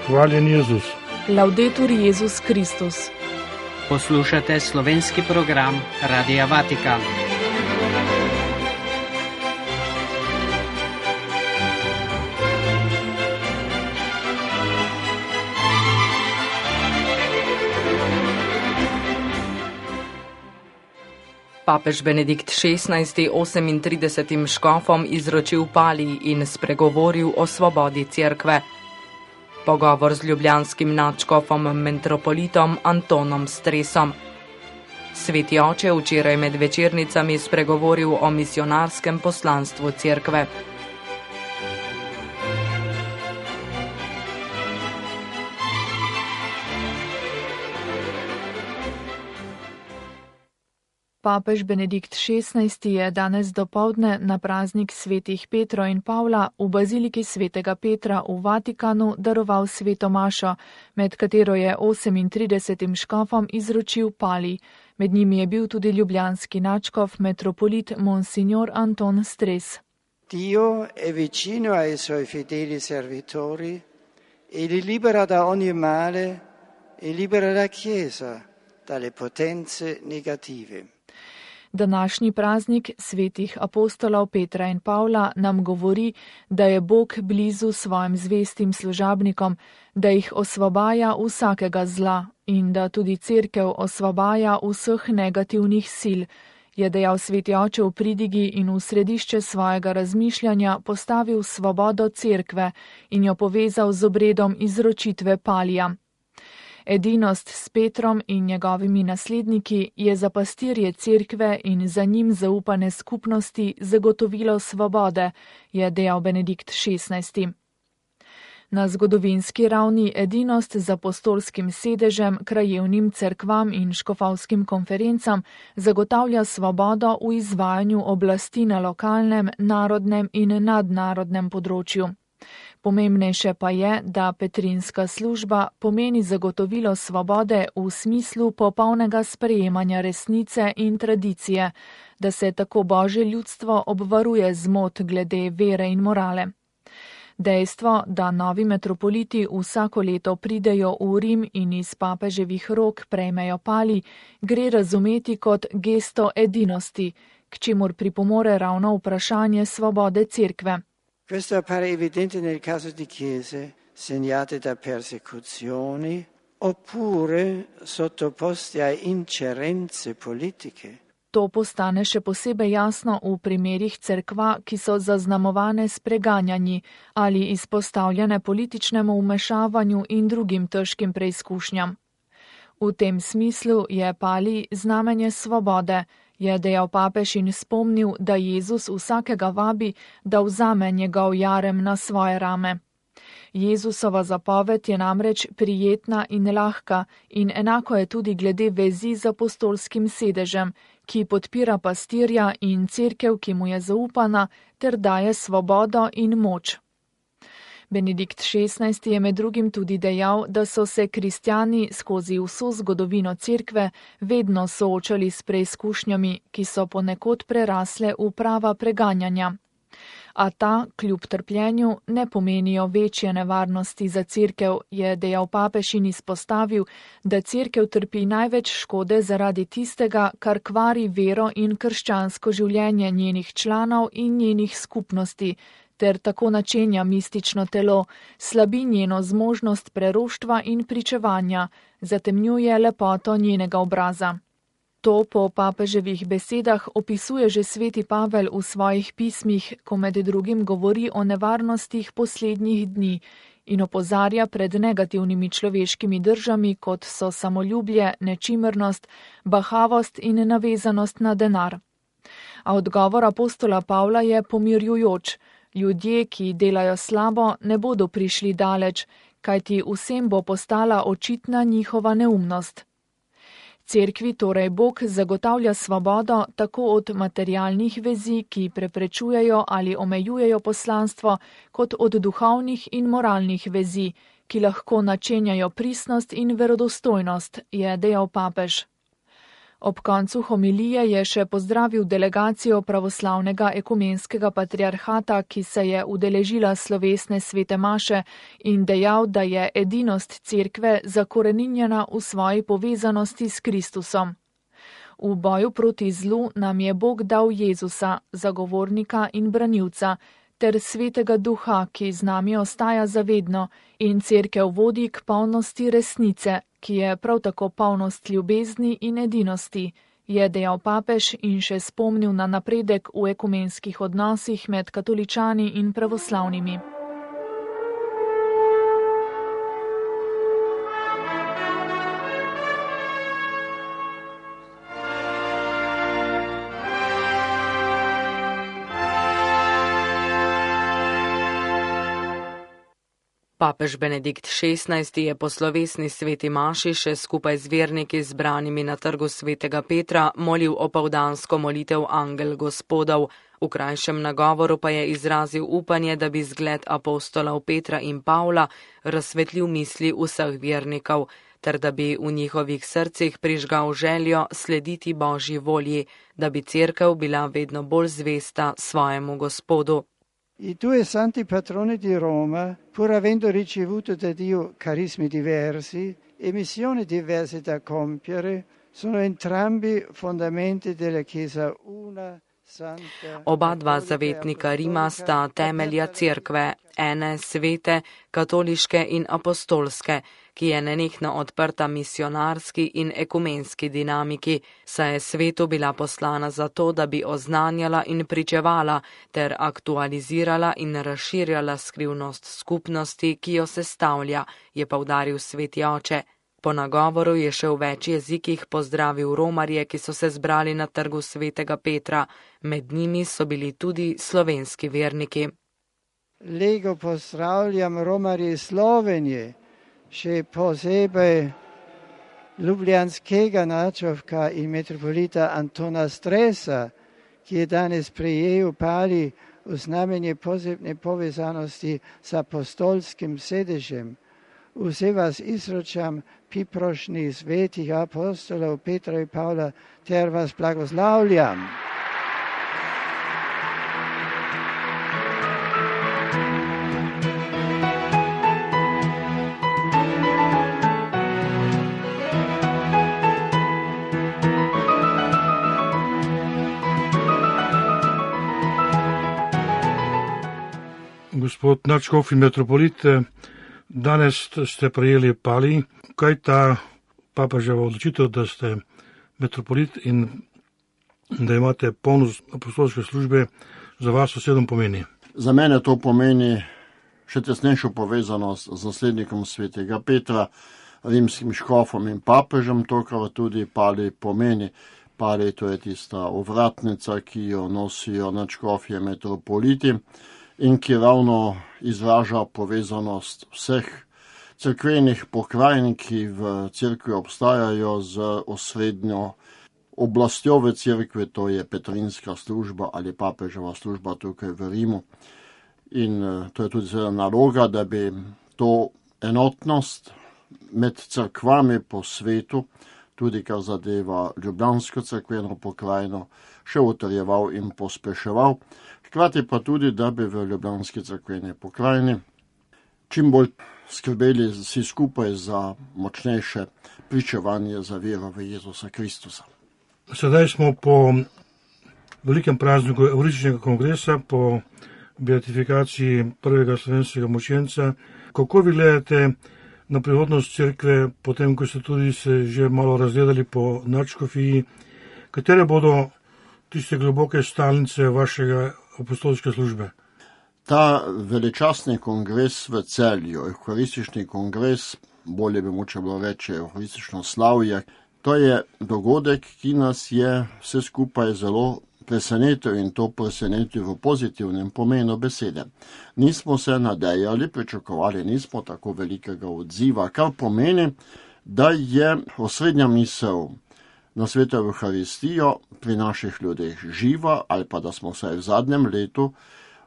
Hvaljen Jezus. Laudetur Jezus Kristus. Poslušate slovenski program Radia Vatikan. Papež Benedikt XVI 38 škofom izročil palij in spregovoril o svobodi cerkve. Pogovor z ljubljanskim nadškofom metropolitom Antonom Stresom. Sveti oče včeraj med večernicami spregovoril o misijonarskem poslanstvu cerkve. Papež Benedikt XVI je danes dopoldne na praznik svetih Petro in Pavla v baziliki svetega Petra v Vatikanu daroval sveto mašo, med katero je 38 škofom izročil palij. Med njimi je bil tudi ljubljanski nadškof metropolit Monsignor Anton Stres. Dio è vicino ai suoi fedeli servitori e li libera da ogni male e libera la Chiesa dalle potenze negative. Današnji praznik svetih apostolov Petra in Pavla nam govori, da je Bog blizu svojim zvestim služabnikom, da jih osvobaja vsakega zla in da tudi cerkev osvobaja vseh negativnih sil, je dejal sveti oče v pridigi in v središče svojega razmišljanja postavil svobodo cerkve in jo povezal z obredom izročitve palija. Edinost s Petrom in njegovimi nasledniki je za pastirje cerkve in za njim zaupane skupnosti zagotovilo svobode, je dejal Benedikt XVI. Na zgodovinski ravni edinost z apostolskim sedežem, krajevnim cerkvam in škofovskim konferencam zagotavlja svobodo v izvajanju oblasti na lokalnem, narodnem in nadnarodnem področju. Pomembnejše pa je, da petrinska služba pomeni zagotovilo svobode v smislu popolnega sprejemanja resnice in tradicije, da se tako Božje ljudstvo obvaruje zmot glede vere in morale. Dejstvo, da novi metropoliti vsako leto pridejo v Rim in iz papeževih rok prejmejo palij, gre razumeti kot gesto edinosti, k čemur pripomore ravno vprašanje svobode cerkve. Questo appare evidente nel caso di chiese segnate da persecuzioni oppure sottoposte a ingerenze politiche. To postane še posebej jasno v primerih cerkva, ki so zaznamovane s preganjanji ali izpostavljene političnemu vmešavanju in drugim težkim preizkušnjam. V tem smislu je palij znamenje svobode, je dejal papež in spomnil, da Jezus vsakega vabi, da vzame njegov jarem na svoje rame. Jezusova zapoved je namreč prijetna in lahka in enako je tudi glede vezi z apostolskim sedežem, ki podpira pastirja in cerkev, ki mu je zaupana, ter daje svobodo in moč. Benedikt XVI je med drugim tudi dejal, da so se kristjani skozi vso zgodovino cerkve vedno soočali s preizkušnjami, ki so ponekod prerasle v prava preganjanja. A ta, kljub trpljenju, ne pomenijo večje nevarnosti za cerkev, je dejal papež in izpostavil, da cerkev trpi največ škode zaradi tistega, kar kvari vero in krščansko življenje njenih članov in njenih skupnosti, ter tako načenja mistično telo, slabi njeno zmožnost preroštva in pričevanja, zatemnjuje lepoto njenega obraza. To po papeževih besedah opisuje že sveti Pavel v svojih pismih, ko med drugim govori o nevarnostih poslednjih dni in opozarja pred negativnimi človeškimi držami, kot so samoljublje, nečimrnost, bahavost in navezanost na denar. A odgovor apostola Pavla je pomirjujoč. Ljudje, ki delajo slabo, ne bodo prišli daleč, kajti vsem bo postala očitna njihova neumnost. Cerkvi torej Bog zagotavlja svobodo tako od materialnih vezi, ki preprečujejo ali omejujejo poslanstvo, kot od duhovnih in moralnih vezi, ki lahko načenjajo pristnost in verodostojnost, je dejal papež. Ob koncu homilije je še pozdravil delegacijo pravoslavnega ekumenskega patriarhata, ki se je udeležila slovesne svete maše in dejal, da je edinost cerkve zakoreninjena v svoji povezanosti s Kristusom. V boju proti zlu nam je Bog dal Jezusa, zagovornika in branilca, ter Svetega Duha, ki z nami ostaja zavedno in cerkev vodi k polnosti resnice, ki je prav tako polnost ljubezni in edinosti, je dejal papež in še spomnil na napredek v ekumenskih odnosih med katoličani in pravoslavnimi. Papež Benedikt XVI je po slovesni sveti maši še skupaj z verniki zbranimi na trgu svetega Petra molil opoldansko molitev Angel Gospodov. V krajšem nagovoru pa je izrazil upanje, da bi zgled apostolov Petra in Pavla razsvetlil misli vseh vernikov, ter da bi v njihovih srcih prižgal željo slediti Božji volji, da bi cerkev bila vedno bolj zvesta svojemu Gospodu. I due santi patroni di Roma, pur avendo ricevuto da Dio carismi diversi e missioni diverse da compiere, sono entrambi fondamenti della Chiesa una. Oba dva zavetnika Rima sta temelja cerkve, ene svete, katoliške in apostolske, ki je nenehno odprta misionarski in ekumenski dinamiki, saj je svetu bila poslana zato, da bi oznanjala in pričevala ter aktualizirala in razširjala skrivnost skupnosti, ki jo sestavlja, je poudaril sveti oče. Po nagovoru je še v več jezikih pozdravil romarje, ki so se zbrali na trgu svetega Petra. Med njimi so bili tudi slovenski verniki. Lego pozdravljam romarje iz Slovenije, še posebej ljubljanskega nadškofka in metropolita Antona Stresa, ki je danes prejel pali v znamenje posebne povezanosti s apostolskim sedežem. Vse vas izročam priprošnji svetih apostolov Petra in Pavla, ter vas blagoslavljam. Gospod nadškof in metropolit, danes ste prejeli pali. Kaj ta papeževa odločitev, da ste metropolit in da imate polnost apostolske službe, za vas osebno pomeni? Za mene to pomeni še tesnejšo povezanost z naslednikom svetega Petra, rimskim škofom in papežem, to, kar tudi pali pomeni. Pali, to je tista ovratnica, ki jo nosijo nadškofje metropoliti in ki ravno izraža povezanost vseh cerkvenih pokrajin, ki v cerkvi obstajajo z osrednjo oblastjo v cerkvi, to je petrinska služba ali papeževa služba tukaj v Rimu. In to je tudi naloga, da bi to enotnost med cerkvami po svetu, tudi kar zadeva ljubljansko cerkveno pokrajino, še utrjeval in pospeševal. Hkrati pa tudi, da bi v ljubljanski cerkveni pokrajini čim bolj skrbeli vsi skupaj za močnejše pričevanje za vero v Jezusa Kristusa. Sedaj smo po velikem prazniku Evharističnega kongresa, po beatifikaciji prvega slovenskega mučenca. Kako vi gledate na prihodnost cerkve, potem, ko ste tudi se že malo razgledali po nadškofiji, katere bodo tiste globoke stalnice vašega apostolske službe? Ta veličastni kongres v Celju, Evharistični kongres, bolje bi moče bilo reči Evharistično slavje, to je dogodek, ki nas je vse skupaj zelo presenetil in to presenetil v pozitivnem pomenu besede. Nismo se nadejali, pričakovali nismo tako velikega odziva, kar pomeni, da je osrednja misel na sveto Evharistijo pri naših ljudeh živa, ali pa da smo vsaj v zadnjem letu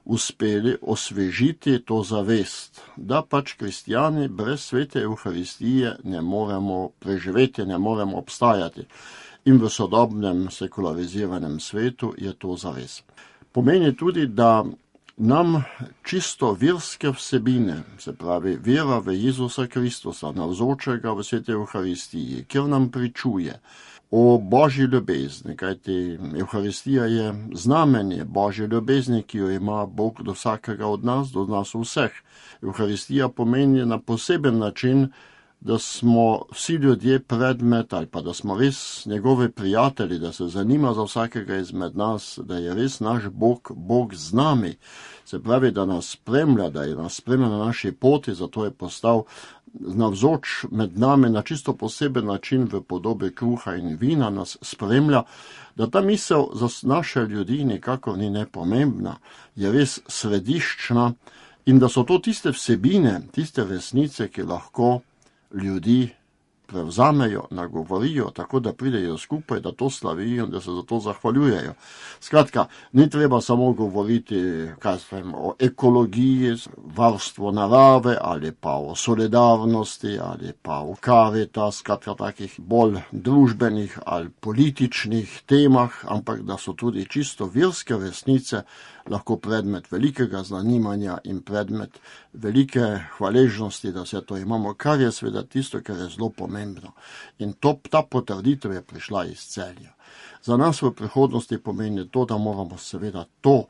uspeli osvežiti to zavest, da pač kristijani brez svete Evharistije ne moremo preživeti, ne moremo obstajati. in v sodobnem sekulariziranem svetu je to zares. Pomeni tudi, da nam čisto verske vsebine, se pravi vera v Jezusa Kristusa, navzočega v Sveti Evharistiji, kjer nam pričuje o Božji ljubezni, kajti Evharistija je znamenje Božje ljubezni, ki jo ima Bog do vsakega od nas, do nas vseh. Evharistija pomeni na poseben način, da smo vsi ljudje predmet ali pa da smo res njegovi prijatelji, da se zanima za vsakega izmed nas, da je res naš Bog z nami. Se pravi, da nas spremlja, da je nas spremlja na naši poti, zato je postal navzoč med nami na čisto poseben način v podobi kruha in vina nas spremlja, da ta misel za naše ljudi nikakor ni nepomembna, je res središčna in da so to tiste vsebine, tiste resnice, ki lahko ljudi prevzamejo, nagovorijo, tako da pridejo skupaj, da to slavijo in da se za to zahvaljujejo. Skratka, ni treba samo govoriti o ekologiji, varstvu narave ali pa o solidarnosti ali pa o Caritas, skratka takih bolj družbenih ali političnih temah, ampak da so tudi čisto verske resnice lahko predmet velikega zanimanja in predmet velike hvaležnosti, da vse to imamo, kar je seveda tisto, kar je zelo pomembno. In ta potrditev je prišla iz Celja. Za nas v prihodnosti pomeni to, da moramo seveda to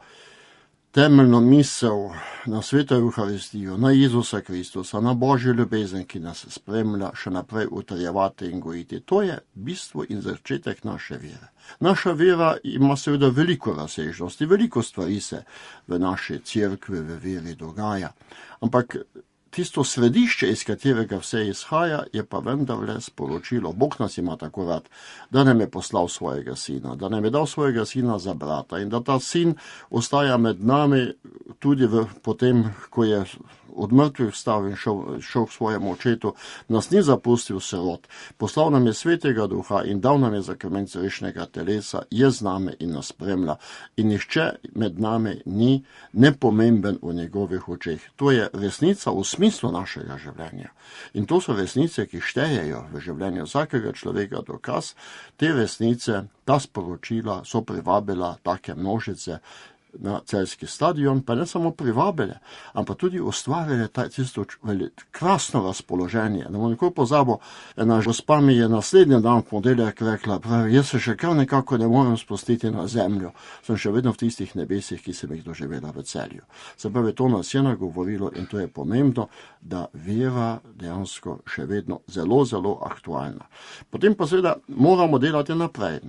temeljno misel na Sveto Evharistijo, na Jezusa Kristusa, na Božjo ljubezen, ki nas spremlja, še naprej utrjevati in gojiti. To je bistvo in začetek naše vere. Naša vera ima seveda veliko razsežnosti, veliko stvari se v naši cerkvi, v veri dogaja, ampak tisto središče, iz katerega vse izhaja, je pa vendarle sporočilo. Bog nas ima tako rad, da nam je poslal svojega sina, da nam je dal svojega sina za brata in da ta sin ostaja med nami tudi potem, ko je od mrtvih vstal in šel k svojemu očetu, nas ni zapustil sirot. Poslal nam je Svetega Duha in dal nam je zakrment rešnega telesa, je z nami in nas spremlja. In nihče med nami ni nepomemben v njegovih očeh. To je resnica v smislu našega življenja. In to so resnice, ki štejejo v življenju vsakega človeka. Dokaz te resnice, ta sporočila so privabila take množice na celjski stadion, pa ne samo privabile, ampak tudi ustvarile tisto krasno razpoloženje. Ne bom nikoli pozabil, ena gospa mi je naslednji dan v ponedeljek rekla, pravi, jaz se še kar nekako ne morem spustiti na zemljo, sem še vedno v tistih nebesih, ki sem jih doživela v Celju. Se pravi, to nas je nagovorilo in to je pomembno, da vera dejansko še vedno zelo, zelo aktualna. Potem pa seveda moramo delati naprej.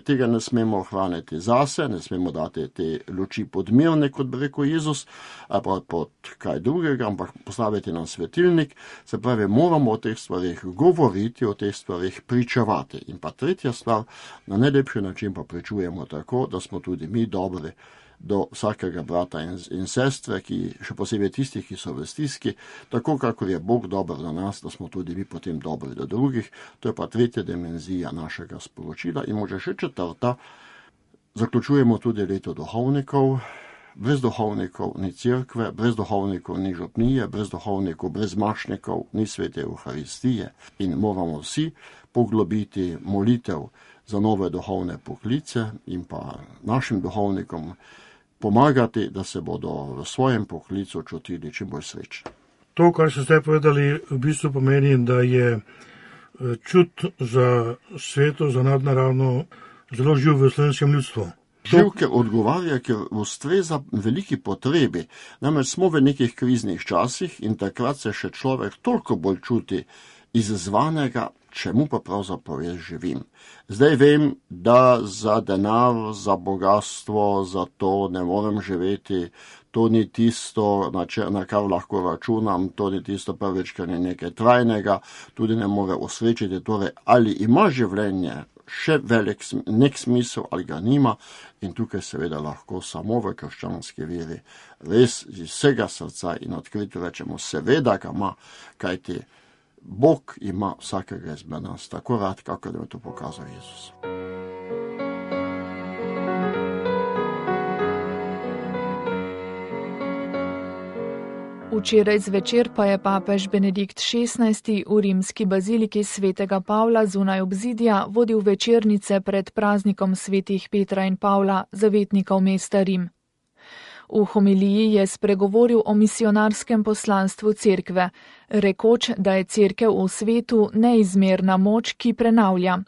Tega ne smemo ohraniti zase, ne smemo dati te luči podmirne, kot bi rekel Jezus, ali pa pod kaj drugega, ampak postaviti nam svetilnik. Se pravi, moramo o teh stvarih govoriti, o teh stvarih pričevati. In pa tretja stvar, na najlepši način pa pričujemo tako, da smo tudi mi dobri do vsakega brata in sestre, ki še posebej tistih, ki so v stiski, tako kakor je Bog dober do nas, da smo tudi mi potem dobri do drugih. To je pa tretja dimenzija našega sporočila in može še četrta. Zaključujemo tudi leto duhovnikov. Brez duhovnikov ni cerkve, brez duhovnikov ni župnije, brez duhovnikov, brez mašnikov ni Svete Evharistije. In moramo vsi poglobiti molitev za nove duhovne poklice in pa našim duhovnikom pomagati, da se bodo v svojem poklicu čutili čim bolj srečni. To, kar ste zdaj povedali, v bistvu pomeni, da je čut za sveto, za nadnaravno zelo živ v slovenskem ljudstvu. Živ, ker odgovarja, ker ustreza veliki potrebi. Namreč smo v nekih kriznih časih in takrat se še človek toliko bolj čuti izzvanega, čemu pa pravzaprav jaz živim. Zdaj vem, da za denar, za bogatstvo, za to ne morem živeti, to ni tisto, na kar lahko računam, to ni tisto prvič, kar je nekaj trajnega, tudi ne more osrečiti, torej ali ima življenje še velik nek smisel ali ga nima in tukaj seveda lahko samo v krščanski veri res iz vsega srca in odkrito rečemo, seveda ga ima, kajti Bog ima vsakega izmed nas tako rad, kako da je to pokazal Jezus. V Včeraj zvečer pa je papež Benedikt XVI v rimski baziliki svetega Pavla zunaj obzidja vodil večernice pred praznikom svetih Petra in Pavla, zavetnikov mesta Rim. V homiliji je spregovoril o misionarskem poslanstvu cerkve, rekoč, da je cerkev v svetu neizmerna moč, ki prenavlja.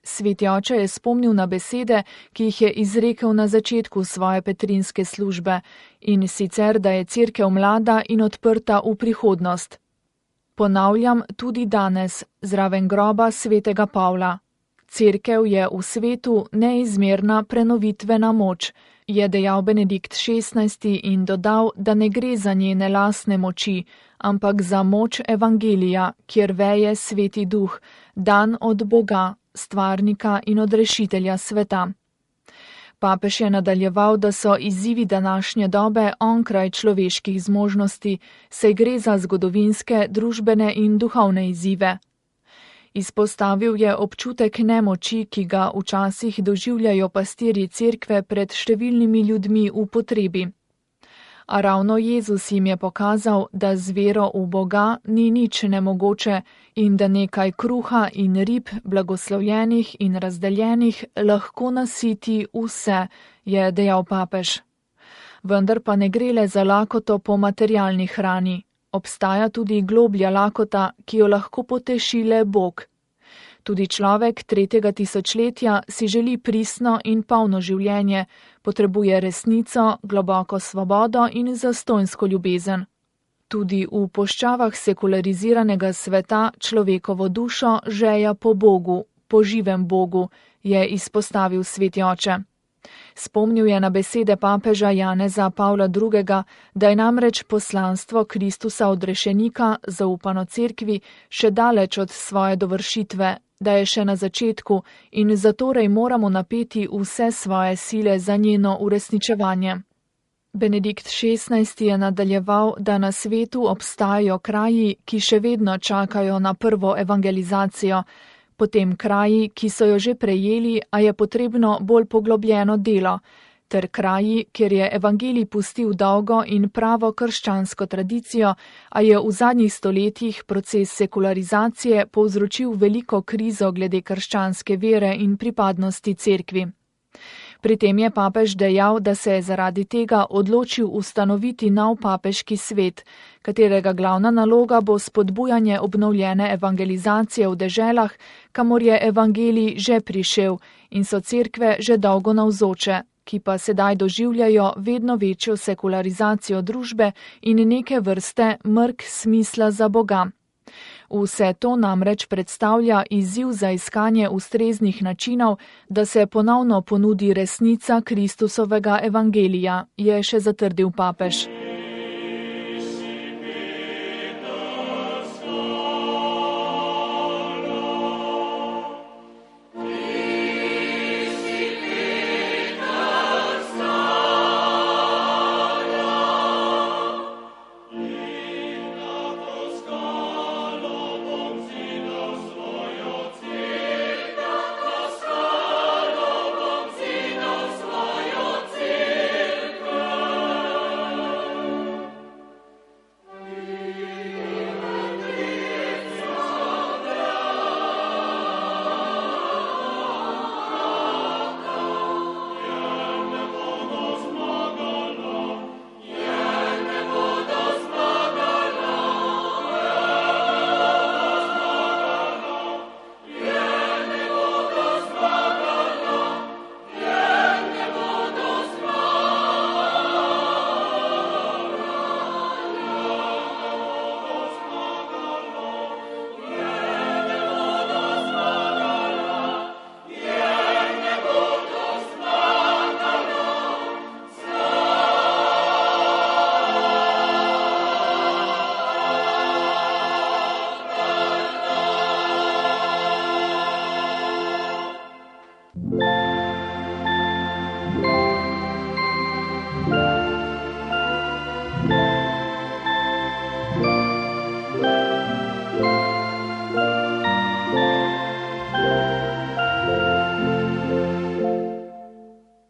Sveti oče je spomnil na besede, ki jih je izrekel na začetku svoje petrinske službe, in sicer, da je cerkev mlada in odprta v prihodnost. Ponavljam tudi danes, zraven groba svetega Pavla. Cerkev je v svetu neizmerna prenovitvena moč, je dejal Benedikt XVI in dodal, da ne gre za njene lastne moči, ampak za moč evangelija, kjer veje sveti duh, dan od Boga, stvarnika in odrešitelja sveta. Papež je nadaljeval, da so izzivi današnje dobe onkraj človeških zmožnosti, saj gre za zgodovinske, družbene in duhovne izzive. Izpostavil je občutek nemoči, ki ga včasih doživljajo pastirji cerkve pred številnimi ljudmi v potrebi. A ravno Jezus jim je pokazal, da z vero v Boga ni nič nemogoče in da nekaj kruha in rib, blagoslovljenih in razdeljenih, lahko nasiti vse, je dejal papež. Vendar pa ne gre le za lakoto po materialni hrani. Obstaja tudi globlja lakota, ki jo lahko poteši le Bog. Tudi človek 3. tisočletja si želi pristno in polno življenje, potrebuje resnico, globoko svobodo in zastonjsko ljubezen. Tudi v poščavah sekulariziranega sveta človekovo dušo žeja po Bogu, po živem Bogu, je izpostavil sveti oče. Spomnil je na besede papeža Janeza Pavla II., da je namreč poslanstvo Kristusa odrešenika, zaupano cerkvi, še daleč od svoje dovršitve, da je še na začetku in zatorej moramo napeti vse svoje sile za njeno uresničevanje. Benedikt XVI je nadaljeval, da na svetu obstajajo kraji, ki še vedno čakajo na prvo evangelizacijo, potem kraji, ki so jo že prejeli, a je potrebno bolj poglobljeno delo, ter kraji, kjer je evangelij pustil dolgo in pravo krščansko tradicijo, a je v zadnjih stoletjih proces sekularizacije povzročil veliko krizo glede krščanske vere in pripadnosti cerkvi. Pri tem je papež dejal, da se je zaradi tega odločil ustanoviti nov papeški svet, katerega glavna naloga bo spodbujanje obnovljene evangelizacije v deželah, kamor je evangelij že prišel in so cerkve že dolgo navzoče, ki pa sedaj doživljajo vedno večjo sekularizacijo družbe in neke vrste mrk smisla za Boga. Vse to namreč predstavlja izziv za iskanje ustreznih načinov, da se ponovno ponudi resnica Kristusovega evangelija, je še zatrdil papež.